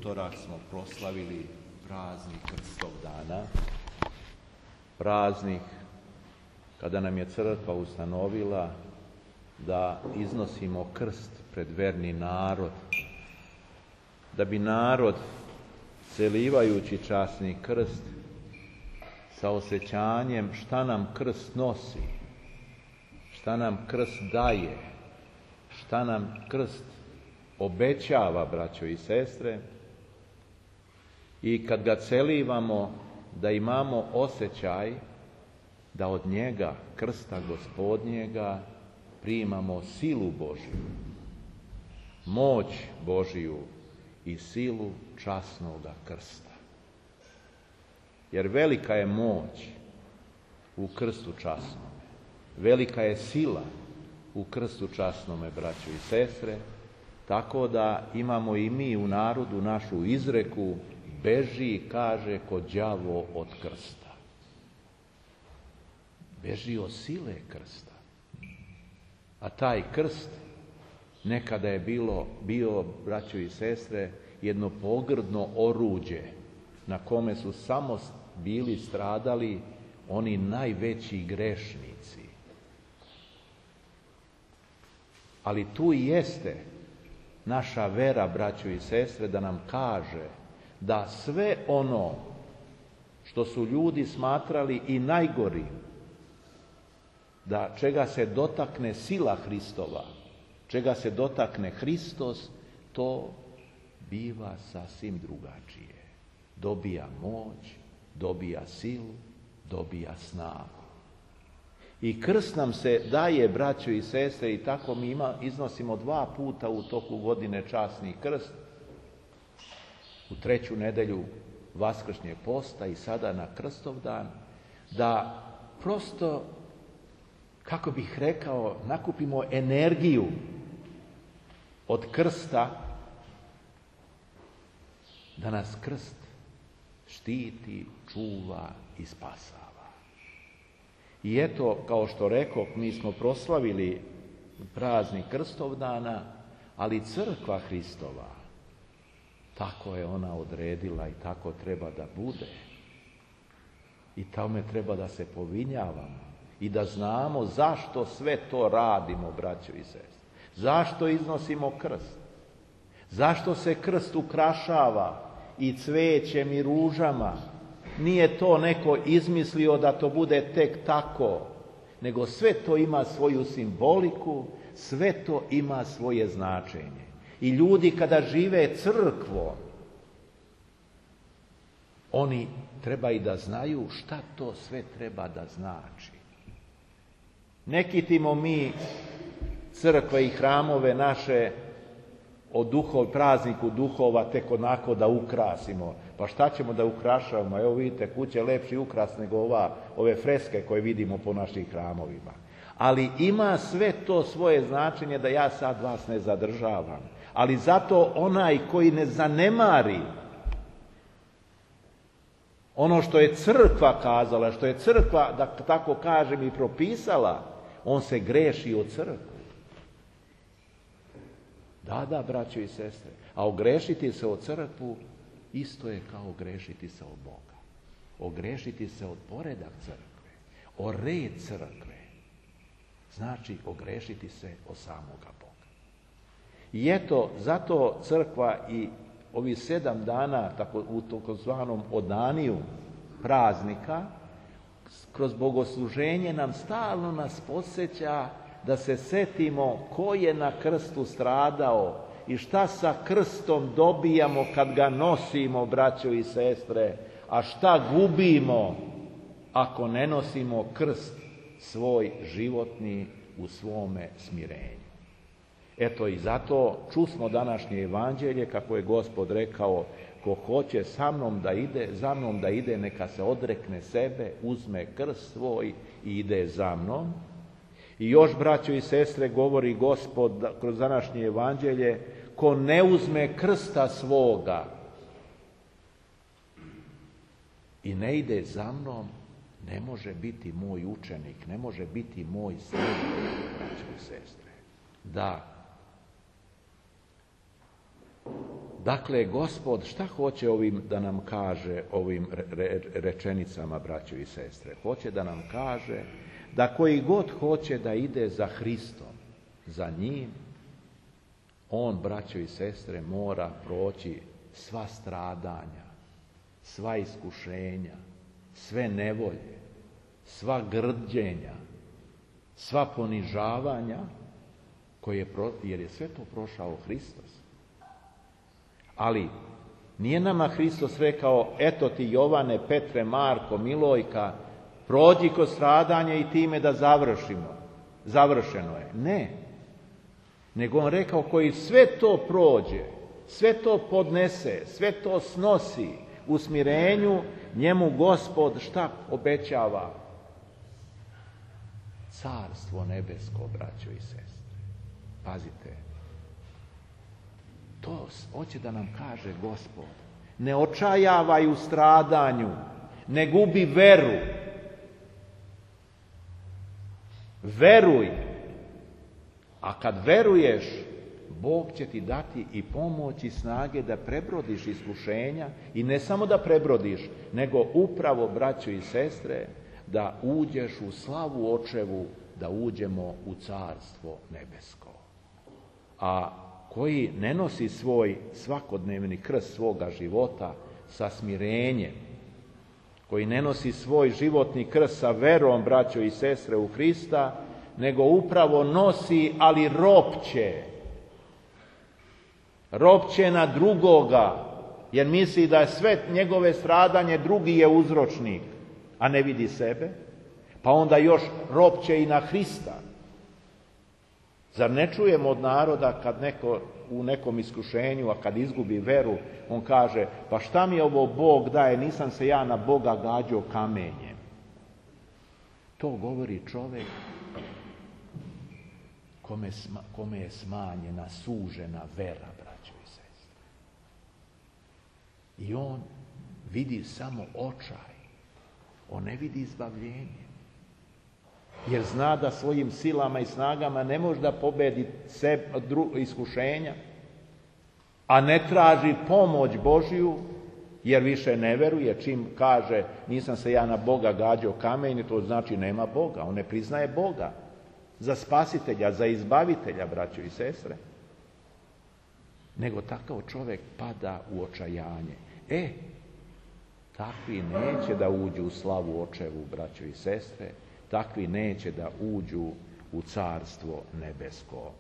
utorak smo proslavili praznik Krstov dana, praznik kada nam je crkva ustanovila da iznosimo krst pred verni narod, da bi narod, celivajući časni krst, sa osjećanjem šta nam krst nosi, šta nam krst daje, šta nam krst obećava, braćo i sestre, i kad ga celivamo, da imamo osjećaj da od njega, krsta Gospodnjega, primamo silu Božju, moć Božju i silu časnoga krsta. Jer velika je moć u krstu časnome, velika je sila u krstu časnome, braćo i sestre, tako da imamo i mi u narodu našu izreku: beži, kaže, ko đavo od krsta. Beži od sile krsta. A taj krst nekada je bio, braćo i sestre, jedno pogrdno oruđe na kome su samo bili stradali oni najveći grešnici. Ali tu i jeste naša vera, braćo i sestre, da nam kaže da sve ono što su ljudi smatrali i najgori, da čega se dotakne sila Hristova, čega se dotakne Hristos, to biva sasvim drugačije. Dobija moć, dobija silu, dobija snagu. I krst nam se daje, braćo i sestre, i tako mi iznosimo 2 puta u toku godine časni krst, u 3. nedelju Vaskršnjeg posta i sada na Krstov dan, da prosto, kako bih rekao, nakupimo energiju od krsta, da nas krst štiti, čuva i spasava. I eto, kao što rekoh, mi smo proslavili praznik Krstov dana, ali crkva Hristova, tako je ona odredila i tako treba da bude. I tome treba da se povinjavamo i da znamo zašto sve to radimo, braćo i sestre. Zašto iznosimo krst? Zašto se krst ukrašava i cvećem i ružama? Nije to neko izmislio da to bude tek tako, nego sve to ima svoju simboliku, sve to ima svoje značenje. I ljudi kada žive crkvom, oni treba i da znaju šta to sve treba da znači. Ne kitimo mi crkve i hramove naše o prazniku duhova tek onako da ukrasimo. Pa šta ćemo da ukrašavamo? Evo vidite, kuća je lepši ukras nego ove freske koje vidimo po našim hramovima. Ali ima sve to svoje značenje, da ja sad vas ne zadržavam. Ali zato onaj koji ne zanemari ono što je crkva kazala, što je crkva, da tako kažem, i propisala, on se greši od crkve. Da, braćo i sestre, a ogrešiti se od crkvu isto je kao ogrešiti se od Boga. Ogrešiti se od poredak crkve, o red crkve, znači ogrešiti se od samoga Boga. I eto, zato crkva i ovi 7 dana, u takozvanom odaniju praznika, kroz bogosluženje nam stalno nas podsjeća da se setimo ko je na krstu stradao i šta sa krstom dobijamo kad ga nosimo, braćo i sestre, a šta gubimo ako ne nosimo krst svoj životni u svome smirenju. Eto i zato čusmo današnje evanđelje kako je Gospod rekao: ko hoće za mnom da ide, neka se odrekne sebe, uzme krst svoj i ide za mnom. I još, braćo i sestre, govori Gospod kroz današnje evanđelje: ko ne uzme krsta svoga i ne ide za mnom, ne može biti moj učenik, ne može biti moj sledbenik, braćo i sestre. Da, Dakle, Gospod šta hoće ovim da nam kaže, ovim rečenicama, braćo i sestre? Hoće da nam kaže da koji god hoće da ide za Hristom, za njim, on, braćo i sestre, mora proći sva stradanja, sva iskušenja, sve nevolje, sva grđenja, sva ponižavanja, jer je sve to prošao Hristos. Ali nije nama Hristos rekao, eto ti Jovane, Petre, Marko, Milojka, prođi kroz stradanje i time da završimo. Završeno je. Ne. Nego on rekao, koji sve to prođe, sve to podnese, sve to snosi u smirenju, njemu Gospod šta obećava? Carstvo nebesko, braćo i sestre. Pazite. To hoće da nam kaže Gospod. Ne očajavaj u stradanju, ne gubi veru. Veruj. A kad veruješ, Bog će ti dati i pomoć i snage da prebrodiš iskušenja i ne samo da prebrodiš, nego upravo, braćo i sestre, da uđeš u slavu očevu, da uđemo u carstvo nebesko. A koji ne nosi svoj svakodnevni krst svoga života sa smirenjem, koji ne nosi svoj životni krst sa verom, braćo i sestre, u Hrista, nego upravo nosi, ali ropće. Ropće na drugoga, jer misli da je sve njegove stradanje drugi je uzročnik, a ne vidi sebe, pa onda još ropće i na Hrista. Zar ne čujemo od naroda kad neko u nekom iskušenju, a kad izgubi veru, on kaže, pa šta mi ovo Bog daje, nisam se ja na Boga gađao kamenjem. To govori čovjek kome je smanjena, sužena vera, braćo i sestre. I on vidi samo očaj, on ne vidi izbavljenje. Jer zna da svojim silama i snagama ne može da pobedi iskušenja, a ne traži pomoć Božju, jer više ne veruje. Čim kaže, nisam se ja na Boga gađao kamenjem, to znači nema Boga. On ne priznaje Boga za spasitelja, za izbavitelja, braćo i sestre. Nego takav čovjek pada u očajanje. Takvi neće da uđu u slavu očevu, braćo i sestre. Takvi neće da uđu u carstvo nebesko.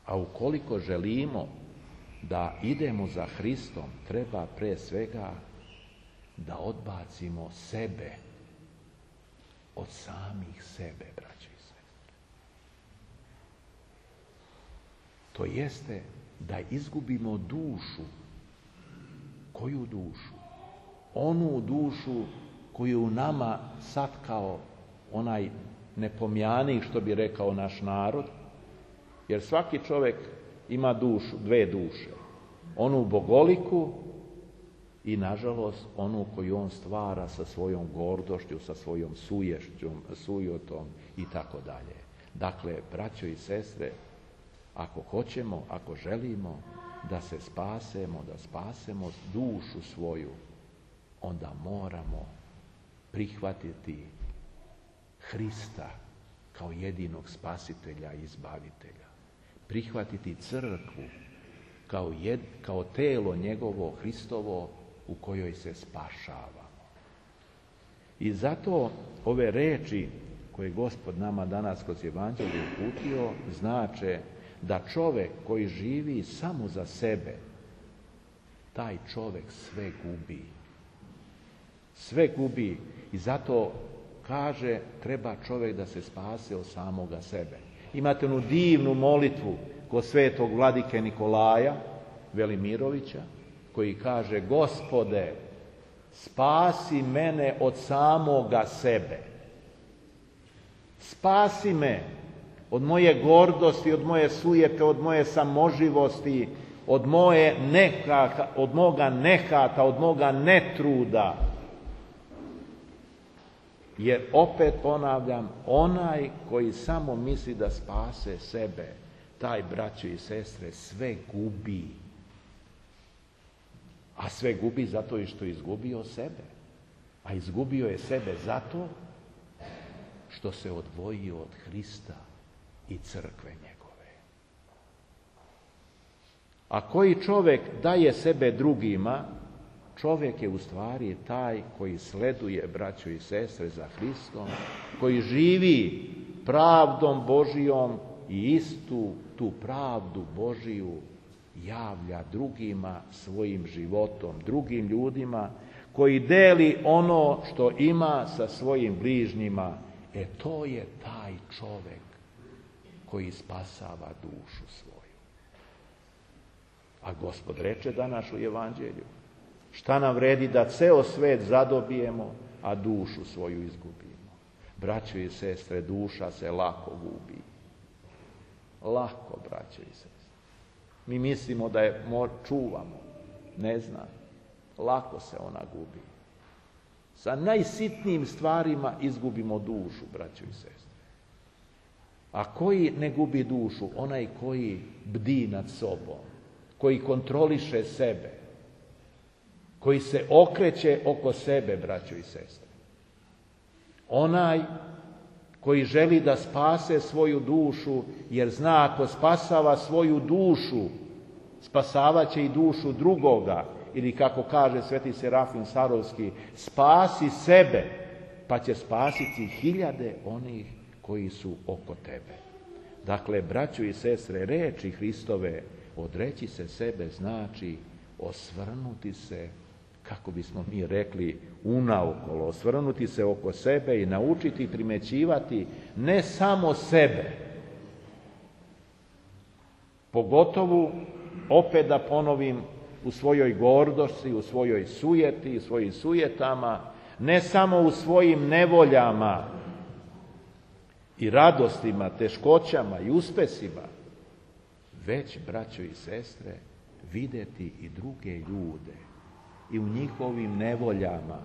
A ukoliko želimo da idemo za Hristom, treba pre svega da odbacimo sebe od samih sebe, braćo i sestre. To jeste da izgubimo dušu. Koju dušu? Onu dušu koju u nama satkao onaj nepomjanik, što bi rekao naš narod, jer svaki čovjek ima dušu, dve duše. Onu bogoliku i, nažalost, onu koju on stvara sa svojom gordošću, sa svojom sujotom i tako dalje. Dakle, braćo i sestre, ako hoćemo, ako želimo da se spasemo, da spasemo dušu svoju, onda moramo prihvatiti Hrista kao jedinog spasitelja i izbavitelja. Prihvatiti crkvu kao telo njegovo Hristovo u kojoj se spašavamo. I zato ove reči koje Gospod nama danas kroz Evanđelje uputio znače da čovjek koji živi samo za sebe, taj čovjek sve gubi. Sve gubi i zato kaže, treba čovjek da se spase od samoga sebe. Imate onu divnu molitvu kod svetog vladike Nikolaja Velimirovića, koji kaže, Gospode, spasi mene od samoga sebe. Spasi me od moje gordosti, od moje sujete, od moje samoživosti, od moga nehata, od moga netruda. Jer opet ponavljam, onaj koji samo misli da spase sebe, taj, braćo i sestre, sve gubi. sve gubi zato što je izgubio sebe. A izgubio je sebe zato što se odvojio od Hrista i crkve njegove. A koji čovjek daje sebe drugima, čovjek je u stvari taj koji sleduje, braćo i sestre, za Hristom, koji živi pravdom Božijom i istu tu pravdu Božiju javlja drugima svojim životom, drugim ljudima, koji deli ono što ima sa svojim bližnjima. To je taj čovjek koji spasava dušu svoju. A Gospod reče danas u Evanđelju, šta nam vredi da ceo svet zadobijemo, a dušu svoju izgubimo. Braćo i sestre, duša se lako gubi. Lako, braćo i sestre. Mi mislimo da je čuvamo. Ne znam. Lako se ona gubi. Sa najsitnijim stvarima izgubimo dušu, braćo i sestre. A koji ne gubi dušu? Onaj koji bdi nad sobom, koji kontroliše sebe, koji se okreće oko sebe, braćo i sestre. Onaj koji želi da spase svoju dušu, jer zna ako spasava svoju dušu, spasavaće i dušu drugoga. Ili kako kaže sveti Serafim Sarovski, spasi sebe, pa će spasiti hiljade onih koji su oko tebe. Dakle, braćo i sestre, reči Hristove, odreći se sebe znači osvrnuti se, kako bismo mi rekli, unaokolo, osvrnuti se oko sebe i naučiti primećivati ne samo sebe, pogotovo, opet da ponovim, u svojoj gordosti, u svojoj sujeti, u svojim sujetama, ne samo u svojim nevoljama i radostima, teškoćama i uspesima, već, braćo i sestre, vidjeti i druge ljude i u njihovim nevoljama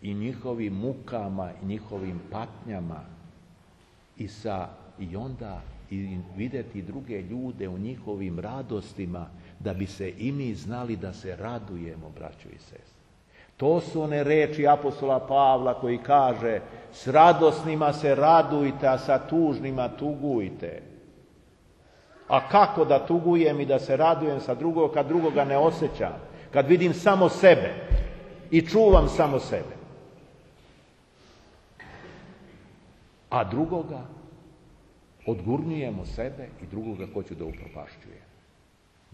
i njihovim mukama i njihovim patnjama i onda vidjeti druge ljude u njihovim radostima, da bi se i mi znali da se radujemo, braćo i sestre. To su one reči apostola Pavla koji kaže, s radosnima se radujte, a sa tužnima tugujte. A kako da tugujem i da se radujem sa drugog, kad drugoga ne osjećam, kad vidim samo sebe i čuvam samo sebe. A drugoga odgurnjujemo sebe i drugoga hoću da upropašćujem.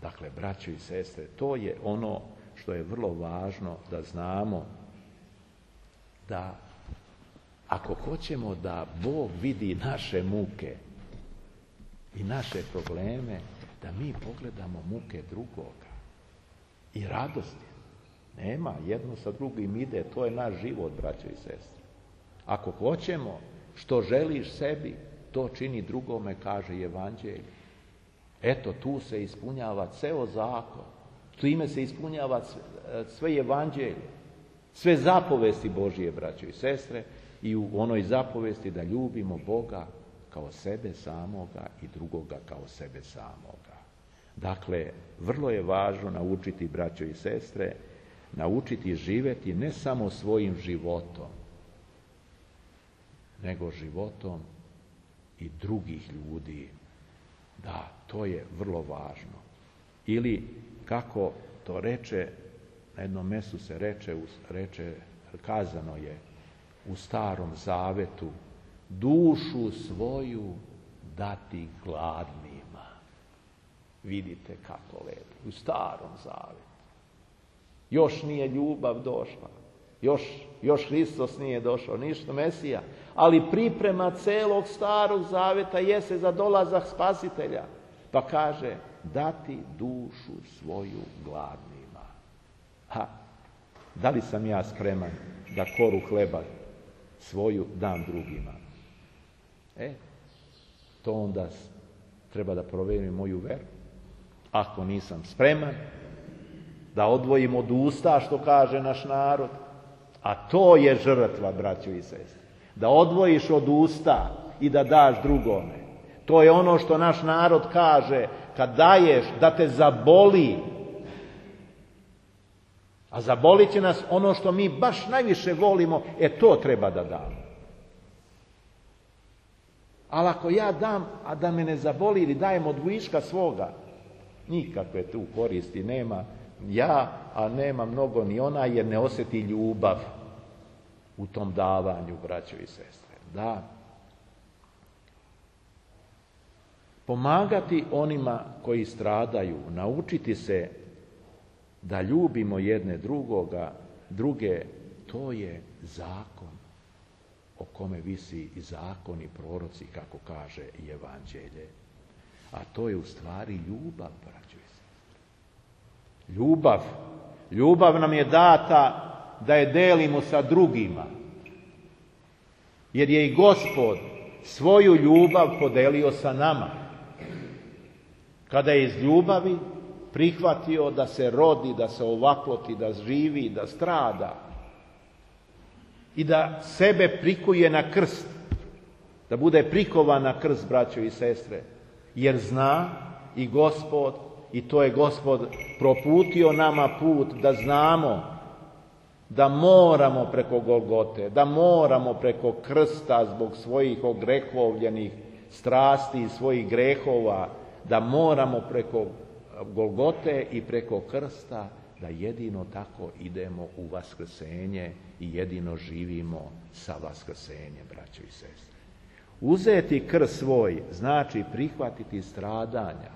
Dakle, braćo i sestre, to je ono što je vrlo važno da znamo, da ako hoćemo da Bog vidi naše muke i naše probleme, da mi pogledamo muke drugoga i radosti. Nema, jedno sa drugim ide, to je naš život, braćo i sestre. Ako hoćemo što želiš sebi, to čini drugome, kaže Evanđelje. Eto, tu se ispunjava ceo zakon, time se ispunjava sve Evanđelje, sve zapovesti Božije, braćo i sestre, i u onoj zapovesti da ljubimo Boga kao sebe samoga i drugoga kao sebe samoga. Dakle, vrlo je važno naučiti, braćo i sestre, naučiti živjeti ne samo svojim životom, nego životom i drugih ljudi. Da, to je vrlo važno. Ili, kako to reče, na jednom mjestu se kazano je u Starom Zavetu, dušu svoju dati gladnima. Vidite kako lepo, u Starom Zavetu. Još nije ljubav došla, još Hristos nije došao, ništa Mesija, ali priprema celog Starog Zaveta jeste za dolazak Spasitelja. Pa kaže, dati dušu svoju gladnima. Da li sam ja spreman da koru hleba svoju dam drugima? To onda treba da provjerim moju veru. Ako nisam spreman da odvojim od usta, što kaže naš narod, a to je žrtva, braćo i sestre, da odvojiš od usta i da daš drugome. To je ono što naš narod kaže, kad daješ, da te zaboli. A zabolit će nas ono što mi baš najviše volimo, to treba da damo. Ali ako ja dam, a da me ne zaboli ili dajem od viška svoga, nikakve tu koristi nema ja, a nema mnogo ni ona, jer ne osjeti ljubav u tom davanju, braćo i sestre. Da. Pomagati onima koji stradaju, naučiti se da ljubimo jedne druge, to je zakon o kome visi i zakon i proroci, kako kaže i evanđelje. A to je u stvari ljubav, braćo i sestre. Ljubav. Ljubav nam je data da je delimo sa drugima. Jer je i Gospod svoju ljubav podelio sa nama. Kada je iz ljubavi prihvatio da se rodi, da se ovakloti, da živi, da strada i da sebe prikuje na krst, da bude prikovan na krst, braćo i sestre, jer zna i Gospod, i to je Gospod proputio nama put, da znamo da moramo preko Golgote, da moramo preko krsta zbog svojih ogrehovljenih strasti i svojih grehova, da moramo preko Golgote i preko krsta, da jedino tako idemo u vaskrsenje i jedino živimo sa vaskrsenjem, braćo i sestre. Uzeti krst svoj znači prihvatiti stradanja,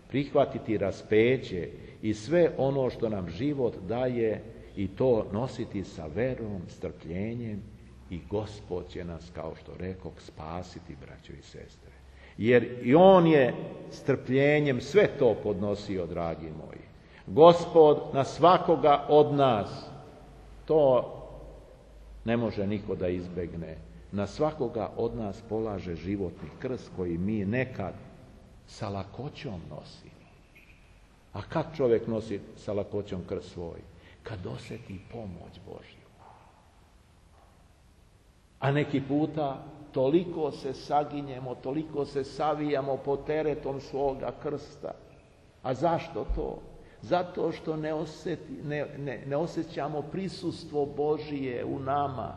prihvatiti raspeće i sve ono što nam život daje i to nositi sa verom, strpljenjem i Gospod će nas, kao što rekoh, spasiti, braćo i sestre. Jer i On je strpljenjem sve to podnosio, dragi moji. Gospod na svakoga od nas, to ne može niko da izbegne, na svakoga od nas polaže životni krst koji mi nekad sa lakoćom nosimo. A kad čovjek nosi sa lakoćom krst svoj? Kad osjeti pomoć Božju. A neki puta toliko se saginjemo, toliko se savijamo pod teretom svoga krsta. A zašto to? Zato što ne osjećamo prisustvo Božije u nama.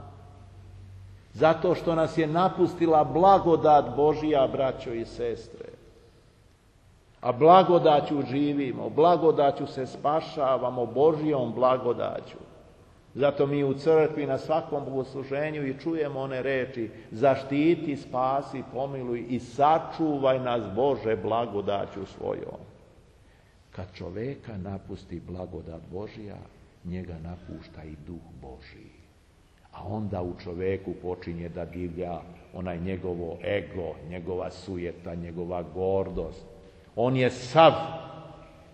Zato što nas je napustila blagodat Božija, braćo i sestre. A blagodaću živimo, blagodaću se spašavamo, Božijom blagodaću. Zato mi u crkvi na svakom bogosluženju i čujemo one reči: zaštiti, spasi, pomiluj i sačuvaj nas, Bože, blagodaću svojom. Kad čoveka napusti blagodat Božija, njega napušta i duh Božiji. A onda u čoveku počinje da divlja onaj njegovo ego, njegova sujeta, njegova gordost. On je sav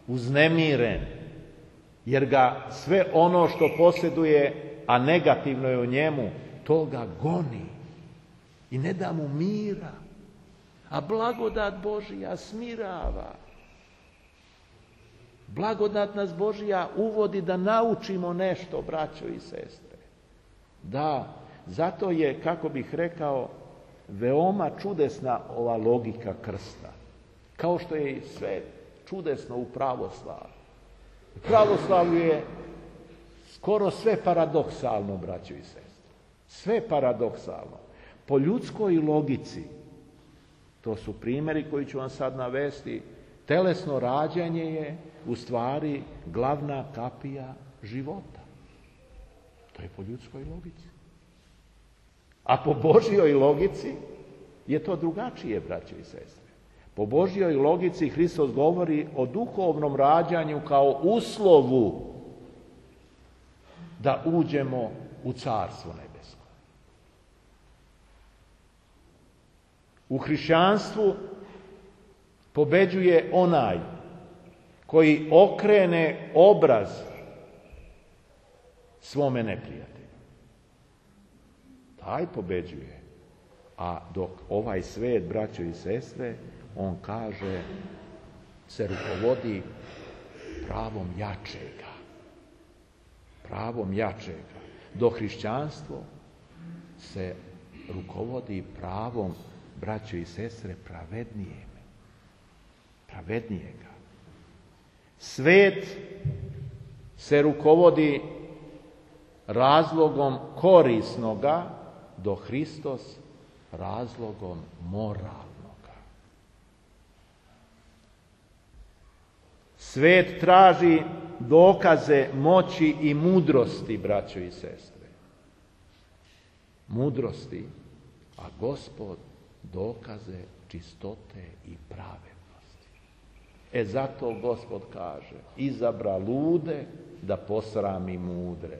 uznemiren, jer ga sve ono što posjeduje, a negativno je u njemu, to ga goni i ne da mu mira. A blagodat Božija smirava. Blagodat nas Božija uvodi da naučimo nešto, braćo i sestre. Da, zato je, kako bih rekao, veoma čudesna ova logika krsta. Kao što je i sve čudesno u pravoslavlju. U pravoslavlju je skoro sve paradoksalno, braćo i sestre. Sve paradoksalno. Po ljudskoj logici, to su primjeri koji ću vam sad navesti, telesno rađanje je u stvari glavna kapija života. To je po ljudskoj logici. A po Božjoj logici je to drugačije, braćo i sestre. Po Božjoj logici Hristos govori o duhovnom rađanju kao uslovu da uđemo u Carstvo nebesko. U hrišćanstvu pobeđuje onaj koji okrene obraz svome neprijatelju. Taj pobeđuje. A dok ovaj svet, braćo i sestre, on kaže, se rukovodi pravom jačega. Pravom jačega. Dok hrišćanstvo se rukovodi pravom, braćo i sestre, pravednijega. Svet se rukovodi razlogom korisnoga, do Hristos razlogom moralnoga. Svet traži dokaze moći i mudrosti, braćo i sestre. Mudrosti, a Gospod dokaze čistote i pravednosti. Zato Gospod kaže, izabra lude da posrami mudre.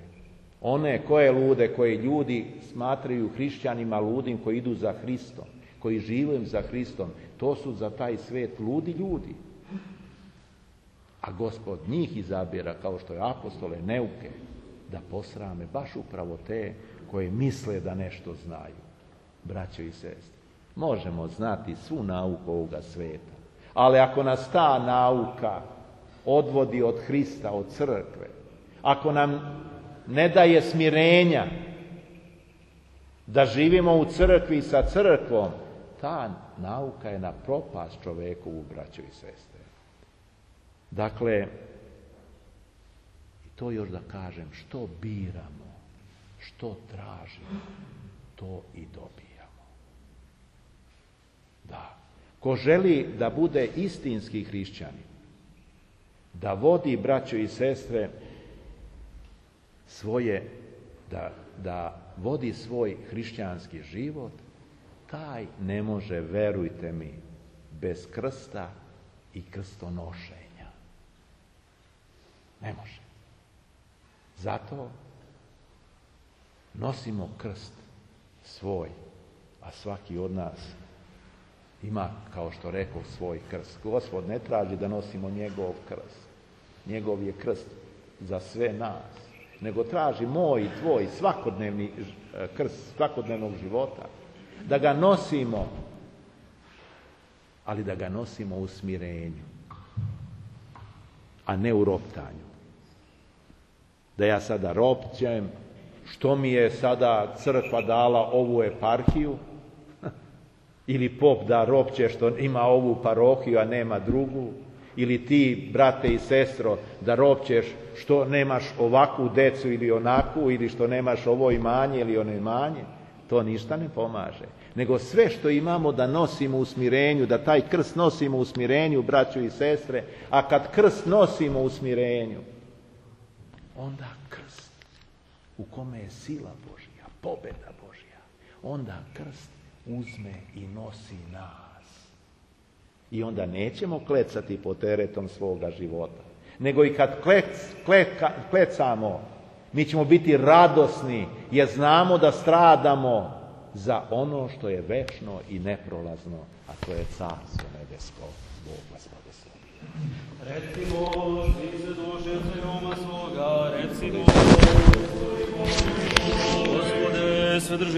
One koje lude, koje ljudi smatraju hrišćanima ludim, koji idu za Hristom, koji žive za Hristom, to su za taj svet ludi ljudi. A Gospod njih izabira, kao što je apostole, neuke, da posrame baš upravo te koje misle da nešto znaju. Braćo i sestre, možemo znati svu nauku ovoga sveta, ali ako nas ta nauka odvodi od Hrista, od crkve, ako nam ne daje smirenja da živimo u crkvi i sa crkvom, ta nauka je na propast čovekovu, braćo i sestre. Dakle, i to još da kažem, što biramo, što tražimo, to i dobijamo. Da, ko želi da bude istinski hrišćanin, da vodi, braćo i sestre, da vodi svoj hrišćanski život, taj ne može, verujte mi, bez krsta i krstonošenja. Ne može. Zato nosimo krst svoj, a svaki od nas ima, kao što rekao, svoj krst. Gospod ne traži da nosimo njegov krst. Njegov je krst za sve nas, nego traži moj i tvoj svakodnevni krst svakodnevnog života. Da ga nosimo, ali da ga nosimo u smirenju, a ne u roptanju. Da ja sada ropćem, što mi je sada crkva dala ovu eparhiju, ili pop da ropće što ima ovu parohiju, a nema drugu, ili ti, brate i sestro, da ropćeš što nemaš ovakvu decu ili onakvu, ili što nemaš ovo imanje ili ono imanje. To ništa ne pomaže. Nego sve što imamo da nosimo u smirenju, da taj krst nosimo u smirenju, braćo i sestre, a kad krst nosimo u smirenju, onda krst u kome je sila Božja, pobjeda Božja, onda krst uzme i nosi nas. I onda nećemo klecati pod teretom svoga života, nego i kad klecamo, mi ćemo biti radosni, jer znamo da stradamo za ono što je večno i neprolazno, a to je Carstvo nebesko. Bog vas blagoslovi. Recimo, svi se duše Roma svoga, recimo, Gospode, sve drži